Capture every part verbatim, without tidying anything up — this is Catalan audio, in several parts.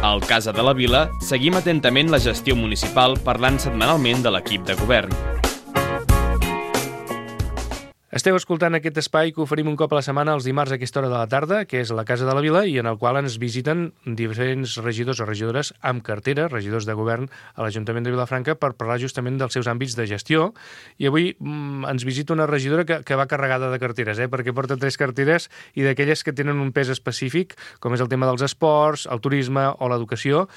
Al Casa de la Vila seguim atentament la gestió municipal parlant setmanalment de l'equip de govern. Esteu escoltant aquest espai que oferim un cop a la setmana els dimarts a aquesta hora de la tarda, que és la Casa de la Vila, i en el qual ens visiten diferents regidors o regidores amb cartera, regidors de govern a l'Ajuntament de Vilafranca, per parlar justament dels seus àmbits de gestió. I avui mm, ens visita una regidora que, que va carregada de carteres, eh? perquè porta tres carteres i d'aquelles que tenen un pes específic, com és el tema dels esports, el turisme o l'educació,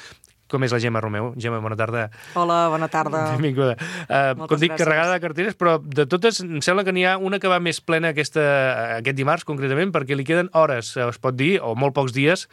com és la Gemma Romeu. Gemma, bona tarda. Hola, bona tarda. Benvinguda. Uh, com dic, gràcies. Carregada de carteres, però de totes em sembla que n'hi ha una que va més plena aquesta, aquest dimarts, concretament, perquè li queden hores, es pot dir, o molt pocs dies,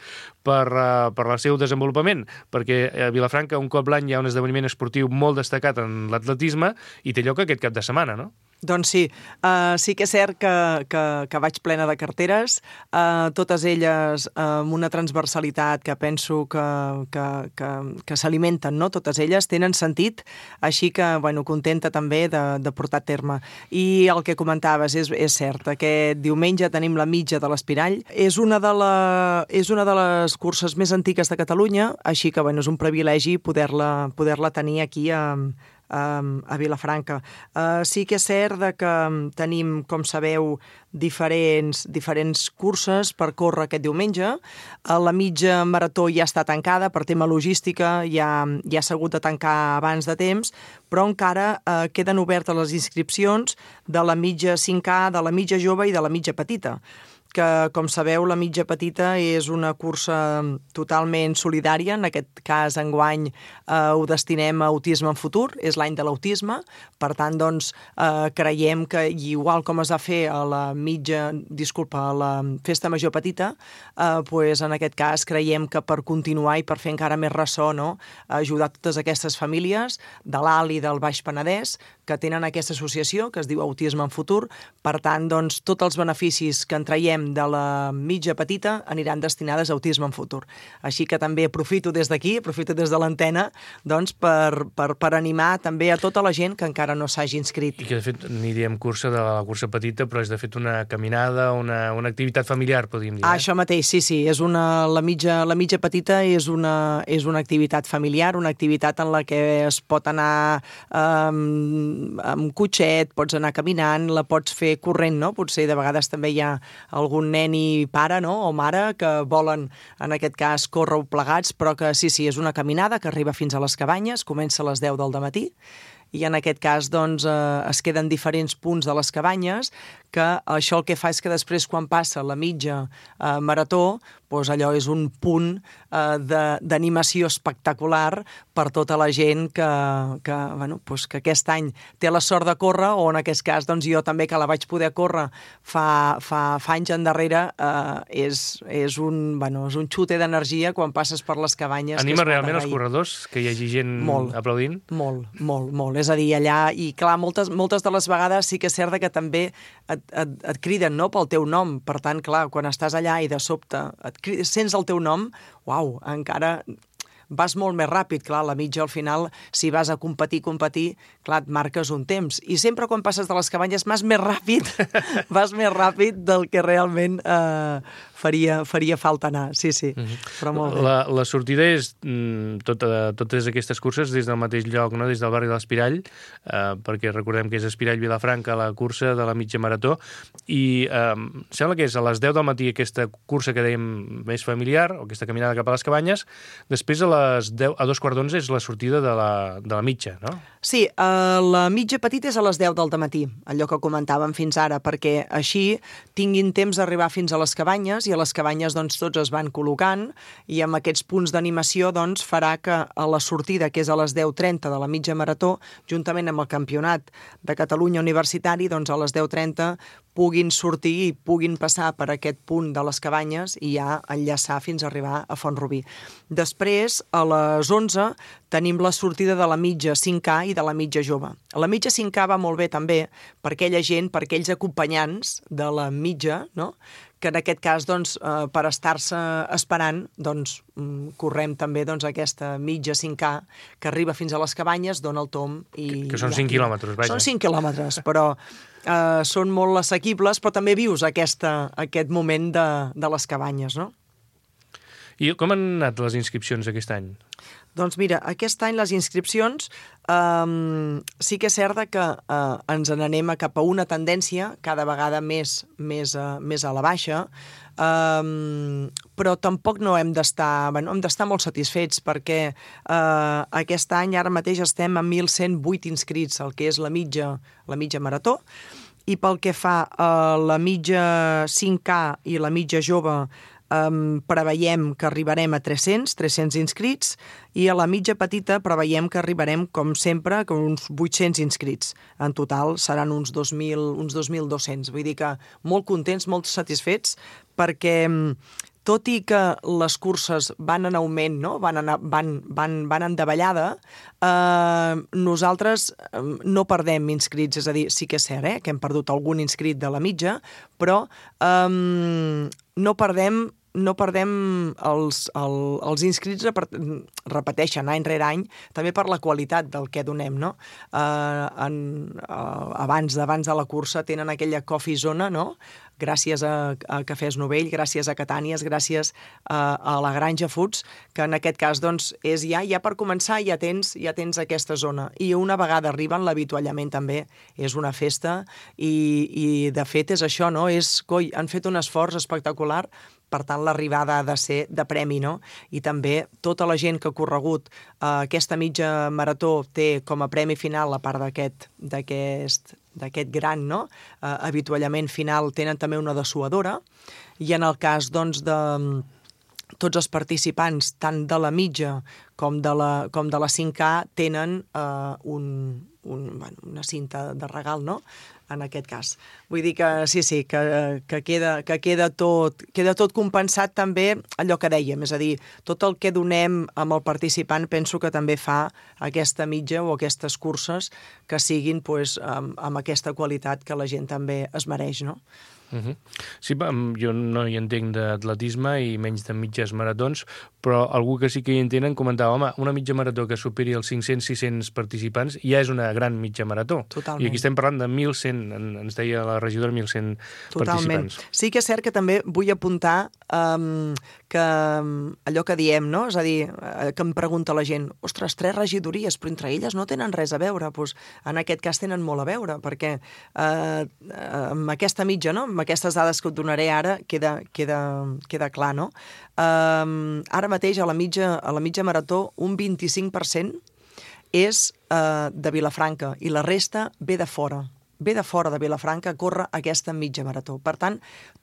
per, uh, per al seu desenvolupament, perquè a Vilafranca un cop l'any hi ha un esdeveniment esportiu molt destacat en l'atletisme i té lloc aquest cap de setmana, no? Doncs sí, uh, sí que és cert que, que, que vaig plena de carteres, uh, totes elles uh, amb una transversalitat que penso que, que, que, que s'alimenten, no? Totes elles tenen sentit, així que, bueno, contenta també de, de portar a terme. I el que comentaves és, és cert, aquest diumenge tenim la mitja de l'Espirall, és una de, la, és una de les curses més antigues de Catalunya, així que, bueno, és un privilegi poder-la poder-la tenir aquí a a Vilafranca. Uh, sí que és cert de que tenim, com sabeu, diferents, diferents curses per córrer aquest diumenge. Uh, la mitja marató ja està tancada per tema logística, ja, ja s'ha hagut de tancar abans de temps, però encara uh, queden obertes les inscripcions de la mitja cinc K, de la mitja jove i de la mitja petita, que, com sabeu, la mitja petita és una cursa totalment solidària. En aquest cas, enguany, eh, ho destinem a Autisme en Futur, és l'any de l'autisme. Per tant, doncs, eh, creiem que, igual com es va fer a la mitja, disculpa, a la Festa Major Petita, eh, pues, en aquest cas creiem que per continuar i per fer encara més ressò, no?, ajudar totes aquestes famílies de l'Alt i del Baix Penedès que tenen aquesta associació que es diu Autisme en Futur. Per tant, doncs, tots els beneficis que en traiem de la mitja petita aniran destinades a Autisme en Futur. Així que també aprofito des d'aquí, aprofito des de l'antena, doncs, per, per, per animar també a tota la gent que encara no s'hagi inscrit. I que, de fet, n'hi diem cursa de la cursa petita, però és, de fet, una caminada, una, una activitat familiar, podríem dir. Eh? Ah, això mateix, sí, sí. És una, la, mitja, la mitja petita és una, és una activitat familiar, una activitat en la que es pot anar um, amb cotxet, pots anar caminant, la pots fer corrent, no? Potser de vegades també hi ha algun nen i pare, no?, o mare, que volen, en aquest cas, córrer plegats, però que sí, sí, és una caminada que arriba fins a les Cabanyes, comença a les deu del dematí, i en aquest cas, doncs, eh, es queden diferents punts de les Cabanyes, que això el que fa és que després, quan passa la mitja eh, marató, doncs allò és un punt eh, d'animació espectacular per tota la gent que, que, bueno, doncs que aquest any té la sort de córrer, o en aquest cas, doncs, jo també, que la vaig poder córrer fa, fa, fa anys endarrere, eh, és, és, un, bueno, és un xute d'energia quan passes per les Cabanyes. Anima realment els corredors, que hi hagi gent molt, aplaudint? Molt, molt, molt. És a dir, allà, i clar, moltes, moltes de les vegades sí que és cert que també et, et, et criden, no?, pel teu nom. Per tant, clar, quan estàs allà i de sobte et criden, sents el teu nom, uau, encara vas molt més ràpid. Clar, la mitja, al final, si vas a competir, competir, clar, et marques un temps. I sempre quan passes de les Cabanyes vas més ràpid, vas més ràpid del que realment eh, faria, faria falta anar. Sí, sí, mm-hmm. Però molt bé. La, la sortida és mm, tota, totes aquestes curses des del mateix lloc, no?, des del barri de l'Espirall, eh, perquè recordem que és Espirall-Vilafranca la cursa de la mitja marató, i eh, sembla que és a les deu del matí aquesta cursa que dèiem més familiar, o aquesta caminada cap a les Cabanyes. Després a les deu, a dos quarts d'onze és la sortida de la, de la mitja, no? Sí, eh, la mitja petita és a les deu del dematí, allò que comentàvem fins ara, perquè així tinguin temps d'arribar fins a les Cabanyes, i a les Cabanyes, doncs, tots es van col·locant, i amb aquests punts d'animació, doncs, farà que a la sortida, que és a les deu trenta de la mitja marató, juntament amb el Campionat de Catalunya Universitari, doncs a les deu trenta puguin sortir i puguin passar per aquest punt de les Cabanyes i ja enllaçar fins a arribar a Font-rubí. Després, a les onze, tenim la sortida de la mitja cinc K i de la mitja jove. La mitja cinc K va molt bé també per aquella gent, per aquells acompanyants de la mitja, no?, que en aquest cas, doncs, eh, per estar-se esperant, doncs, correm també, doncs, aquesta mitja cinc K que arriba fins a les Cabanyes, dona el tomb i... Que, que són cinc quilòmetres, vaja. Són cinc quilòmetres, però eh, són molt assequibles, però també vius aquesta, aquest moment de, de les Cabanyes, no? I com han anat les inscripcions aquest any? Doncs mira, aquest any les inscripcions um, sí que és cert que uh, ens n'anem cap a una tendència cada vegada més, més, uh, més a la baixa, um, però tampoc no hem d'estar bueno, hem d'estar molt satisfets perquè uh, aquest any ara mateix estem a mil cent vuit inscrits, el que és la mitja, la mitja marató, i pel que fa a la mitja cinc K i la mitja jove, Um, preveiem que arribarem a tres-cents, tres-cents inscrits, i a la mitja petita preveiem que arribarem, com sempre, com uns vuit-cents inscrits. En total seran uns dos mil, uns dos mil dos-cents. Vull dir que molt contents, molt satisfets, perquè tot i que les curses van en augment, no? van, anar, van, van, van en davallada, eh, nosaltres no perdem inscrits, és a dir, sí que és cert eh, que hem perdut algun inscrit de la mitja, però eh, no perdem no perdem els, el, els inscrits repeteixen any rere any, també per la qualitat del que donem, no? Uh, en, uh, abans, abans de la cursa tenen aquella coffee zona, no? Gràcies a, a Cafès Novell, gràcies a Catànies, gràcies a, a la Granja Foods, que en aquest cas doncs, és ja, ja per començar ja tens, ja tens aquesta zona. I una vegada arriben, l'avituallament també és una festa i, i de fet és això, no? És, coi, han fet un esforç espectacular, per tant l'arribada ha de ser de premi, no? I també tota la gent que ha corregut eh, aquesta mitja marató té com a premi final, a part d'aquest d'aquest d'aquest gran no? eh, avituallament final, tenen també una dessuadora, i en el cas doncs, de tots els participants, tant de la mitja com de la, com de la cinc K, tenen eh, un, un, bueno, una cinta de regal, no?, en aquest cas. Vull dir que sí, sí, que, que, queda, que queda, tot, queda tot compensat també allò que dèiem, és a dir, tot el que donem amb el participant penso que també fa aquesta mitja o aquestes curses que siguin pues, amb, amb aquesta qualitat que la gent també es mereix, no? Uh-huh. Sí, jo no hi entenc d'atletisme i menys de mitges maratons, però algú que sí que hi entenen comentava, home, una mitja marató que superi els cinc-cents sis-cents participants ja és una gran mitja marató. Totalment. I aquí estem parlant de mil cent, ens deia la regidora, mil cent Totalment. Participants. Sí que és cert que també vull apuntar um, que allò que diem, no? És a dir, que em pregunta la gent, ostres, tres regidories, però entre elles no tenen res a veure. Pues, en aquest cas tenen molt a veure, perquè uh, amb aquesta mitja, no?, amb aquestes dades que et donaré ara, queda, queda, queda clar, no? Um, ara mateix a la mitja, a la mitja marató un vint-i-cinc per cent és uh, de Vilafranca i la resta ve de fora. Ve de fora de Vilafranca a córrer aquesta mitja marató. Per tant,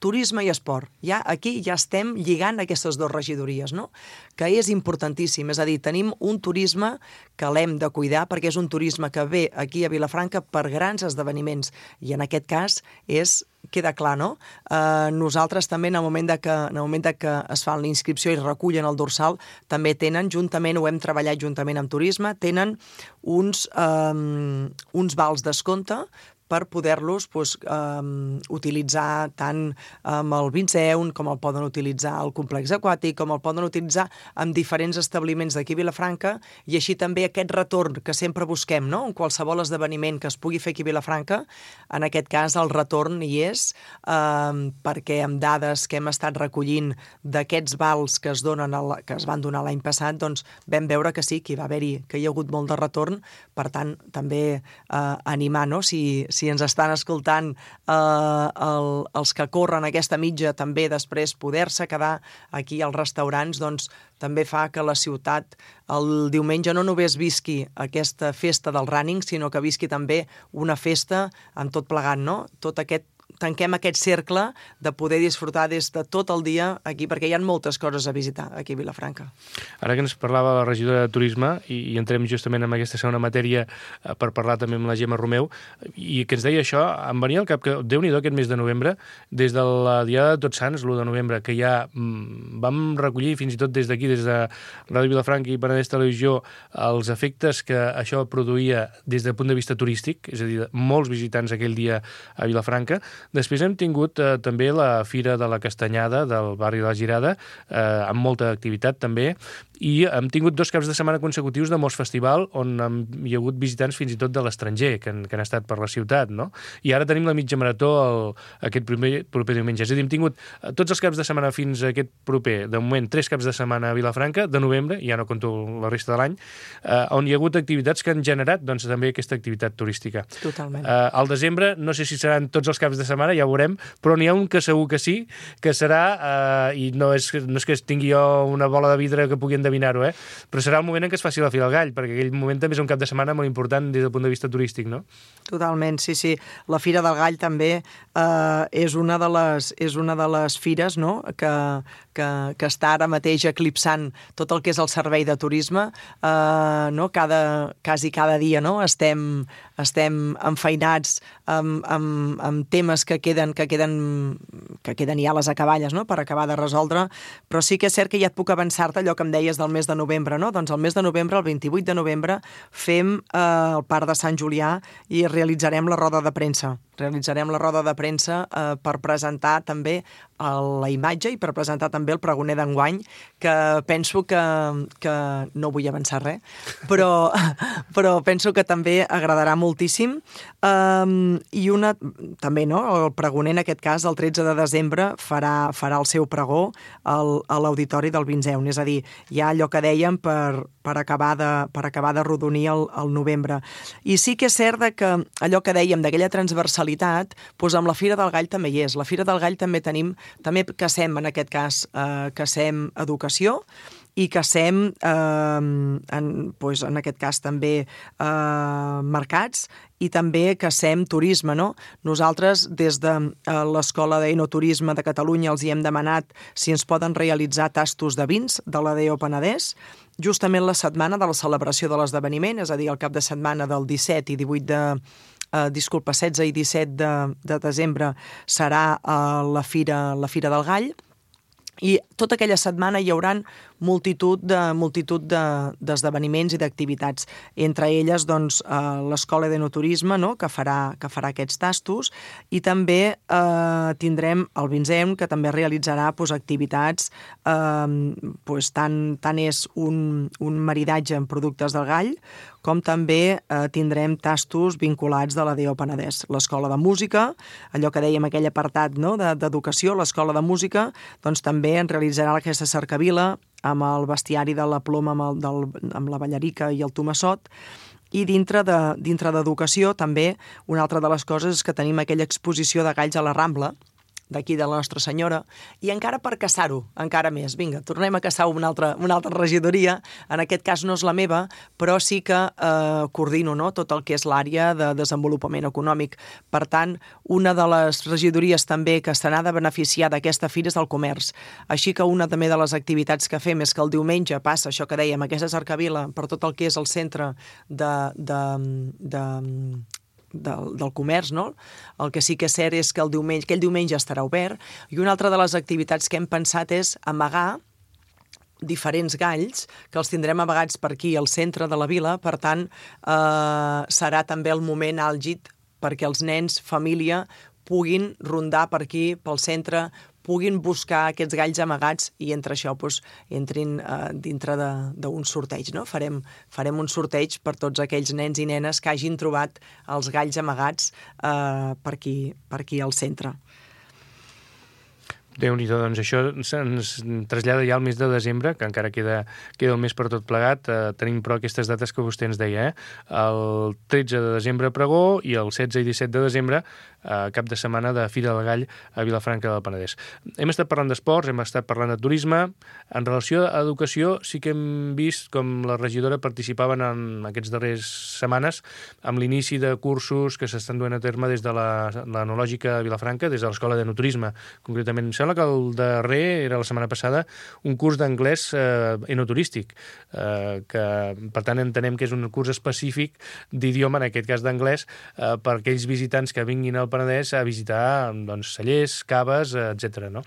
turisme i esport. Ja, aquí ja estem lligant aquestes dues regidories, no?, que és importantíssim. És a dir, tenim un turisme que l'hem de cuidar perquè és un turisme que ve aquí a Vilafranca per grans esdeveniments. I en aquest cas és queda clar, no? Eh, nosaltres també, en el moment de que, en el moment de que es fa la inscripció i recullen el dorsal, també tenen, juntament, ho hem treballat juntament amb turisme, tenen uns, eh, uns vals descompte per poder-los pues, um, utilitzar tant amb el Vinceun com el poden utilitzar al complex aquàtic, com el poden utilitzar en diferents establiments d'aquí a Vilafranca, i així també aquest retorn que sempre busquem, no?, en qualsevol esdeveniment que es pugui fer aquí a Vilafranca, en aquest cas el retorn hi és, um, perquè amb dades que hem estat recollint d'aquests vals que es, donen el, que es van donar l'any passat, doncs vam veure que sí, que hi va haver-hi, que hi ha hagut molt de retorn, per tant, també uh, animar, no?, si, si ens estan escoltant eh, el, els que corren aquesta mitja, també després poder-se quedar aquí als restaurants, doncs també fa que la ciutat el diumenge no només visqui aquesta festa del running, sinó que visqui també una festa amb tot plegat, no? Tot aquest tanquem aquest cercle de poder disfrutar des de tot el dia aquí, perquè hi ha moltes coses a visitar aquí a Vilafranca. Ara que ens parlava la regidora de Turisme, i, i entrem justament en aquesta segona matèria eh, per parlar també amb la Gemma Romeu, i que ens deia això, em venia al cap que, Déu-n'hi-do, aquest mes de novembre, des de la Diada de Tots Sants, l'u de novembre, que ja mm, vam recollir, fins i tot des d'aquí, des de Ràdio Vilafranca i Penedès Televisió, els efectes que això produïa des del punt de vista turístic, és a dir, molts visitants aquell dia a Vilafranca. Després hem tingut eh, també la Fira de la Castanyada del barri de la Girada, eh, amb molta activitat també, i hem tingut dos caps de setmana consecutius de Mos Festival, on hi ha hagut visitants fins i tot de l'estranger, que, han, que han estat per la ciutat, no? I ara tenim la mitja marató el, aquest proper, proper diumenge. És a dir, hem tingut tots els caps de setmana fins a aquest proper, de moment, tres caps de setmana a Vilafranca, de novembre, ja no conto la resta de l'any, eh, on hi ha hagut activitats que han generat doncs, també aquesta activitat turística. Totalment. Eh, al desembre, no sé si seran tots els caps de setmana, ja ho veurem, però n'hi ha un que segur que sí, que serà, eh, i no és, no és que tingui jo una bola de vidre que pugui endevinar-ho, eh? Però serà el moment en què es faci la Fira del Gall, perquè aquell moment també és un cap de setmana molt important des del punt de vista turístic, no? Totalment, sí, sí. La Fira del Gall també eh, és, una de les, és una de les fires, no?, que, que, que està ara mateix eclipsant tot el que és el servei de turisme. Eh, no? cada, quasi cada dia, no?, estem, estem enfeinats amb, amb, amb temes que queden, que, queden, que queden ja a les acaballes, no?, per acabar de resoldre, però sí que és cert que ja et puc avançar-te allò que em deies del mes de novembre, no? Doncs el mes de novembre, el vint-i-vuit de novembre, fem eh, el Parc de Sant Julià i realitzarem la roda de premsa. Realitzarem la roda de premsa eh, per presentar també la imatge i per presentar també el pregoner d'enguany, que penso que, que no vull avançar res, però, però penso que també agradarà moltíssim. Um, I una, també, no?, el pregoner, en aquest cas, el tretze de desembre, farà, farà el seu pregó al, a l'Auditori del Vinzeun. És a dir, hi ha allò que dèiem per, per, acabar, de, per acabar de rodonir el, el novembre. I sí que és cert que allò que dèiem d'aquella transversalitat, doncs amb la Fira del Gall també hi és. La Fira del Gall també tenim, també cacem, en aquest cas, eh, cacem educació, i cacem, eh, en, doncs, en aquest cas també eh, mercats, i també cacem turisme, no? Nosaltres, des de eh, l'Escola d'Enoturisme de Catalunya, els hi hem demanat si ens poden realitzar tastos de vins de l'A D O Penedès, justament la setmana de la celebració de l'esdeveniment, és a dir, el cap de setmana del disset i divuit de... Uh, disculpa, setze i disset de, de desembre serà uh, la, fira, la Fira del Gall, i tota aquella setmana hi haurà multitud de multitud de, d'esdeveniments i d'activitats. Entre elles, doncs, eh, l'Escola d'Enoturisme, no?, que farà, que farà aquests tastos, i també eh, tindrem el Vinzeun, que també realitzarà pues, activitats, eh, pues, tant, tant és un, un maridatge amb productes del gall, com també eh, tindrem tastos vinculats de l'A D O Penedès. L'Escola de Música, allò que dèiem, aquell apartat, no?, de, d'educació, l'Escola de Música, doncs també en realitzarà aquesta cercavila amb el bestiari de la ploma, amb, el, del, amb la ballarica i el tomassot. I dintre de, dintre d'educació també una altra de les coses és que tenim aquella exposició de galls a la Rambla, d'aquí de la Nostra Senyora, i encara per caçar-ho, encara més. Vinga, tornem a caçar una altra, una altra regidoria, en aquest cas no és la meva, però sí que eh, coordino, no?, tot el que és l'àrea de desenvolupament econòmic. Per tant, una de les regidories també que se n'ha de beneficiar d'aquesta fira és el comerç. Així que una també de les activitats que fem és que el diumenge passa això que dèiem, aquesta cercavila per tot el que és el centre de... de, de Del, del comerç, no? El que sí que és cert és que el diumenge, aquell diumenge estarà obert, i una altra de les activitats que hem pensat és amagar diferents galls, que els tindrem amagats per aquí al centre de la vila. Per tant, eh, serà també el moment àlgid perquè els nens, família, puguin rondar per aquí, pel centre, puguin buscar aquests galls amagats i entre això doncs, entrin eh, dintre d'un sorteig. No? Farem, farem un sorteig per tots aquells nens i nenes que hagin trobat els galls amagats eh, per aquí, per aquí al centre. Déu-n'hi-do, doncs això ens trasllada ja al mes de desembre, que encara queda, queda un mes per tot plegat. Eh, tenim però aquestes dates que vostè ens deia, eh? El tretze de desembre pregó i el setze i disset de desembre eh, cap de setmana de Fira del Gall a Vilafranca del Penedès. Hem estat parlant d'esports, hem estat parlant de turisme. En relació a educació sí que hem vist com la regidora participaven en aquestes darreres setmanes amb l'inici de cursos que s'estan duent a terme des de l'Enològica de Vilafranca, des de l'Escola d'Enoturisme. Concretament, em sembla que el darrer era la setmana passada un curs d'anglès eh, enoturístic, eh, que per tant entenem que és un curs específic d'idioma, en aquest cas d'anglès, eh, per aquells visitants que vinguin al Penedès a visitar doncs, cellers, caves, etcètera, no?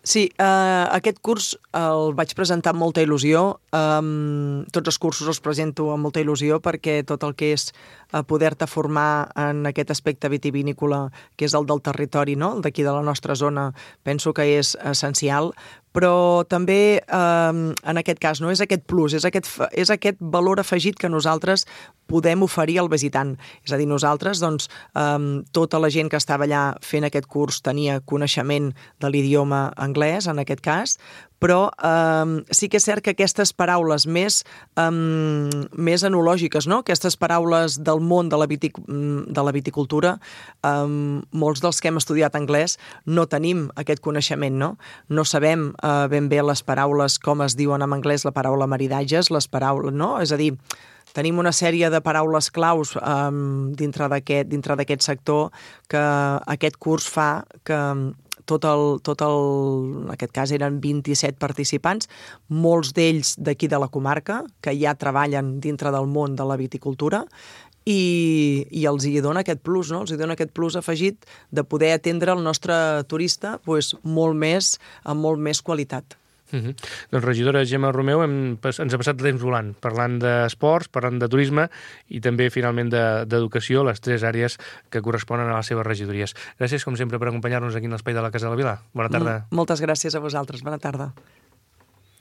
Sí, eh, aquest curs el vaig presentar amb molta il·lusió. Um, tots els cursos els presento amb molta il·lusió perquè tot el que és eh, poder-te formar en aquest aspecte vitivinícola, que és el del territori, no? El d'aquí de la nostra zona, penso que és essencial, però també eh, en aquest cas no és aquest plus, és aquest, és aquest valor afegit que nosaltres podem oferir al visitant. És a dir, nosaltres, doncs, eh, tota la gent que estava allà fent aquest curs tenia coneixement de l'idioma anglès, en aquest cas, però eh, sí que és cert que aquestes paraules més, eh, més enològiques, no? Aquestes paraules del món de la, vitic, de la viticultura, eh, molts dels que hem estudiat anglès no tenim aquest coneixement, no? No sabem eh, ben bé les paraules, com es diuen en anglès la paraula maridatges, les paraules, no? És a dir, tenim una sèrie de paraules claus um, dintre d'aquest dintre d'aquest sector que aquest curs fa que tot el, tot el, en aquest cas eren vint-i-set participants, molts d'ells d'aquí de la comarca, que ja treballen dintre del món de la viticultura, i, i els hi dona aquest plus, no? Els hi dona aquest plus afegit de poder atendre el nostre turista pues, molt més, amb molt més qualitat. Uh -huh. Doncs regidora Gemma Romeu, hem, ens ha passat el temps volant, parlant d'esports, parlant de turisme i també finalment d'educació, de, les tres àrees que corresponen a les seves regidories. Gràcies com sempre per acompanyar-nos aquí en l'Espai de la Casa de la Vila. Bona tarda. Moltes gràcies a vosaltres, bona tarda.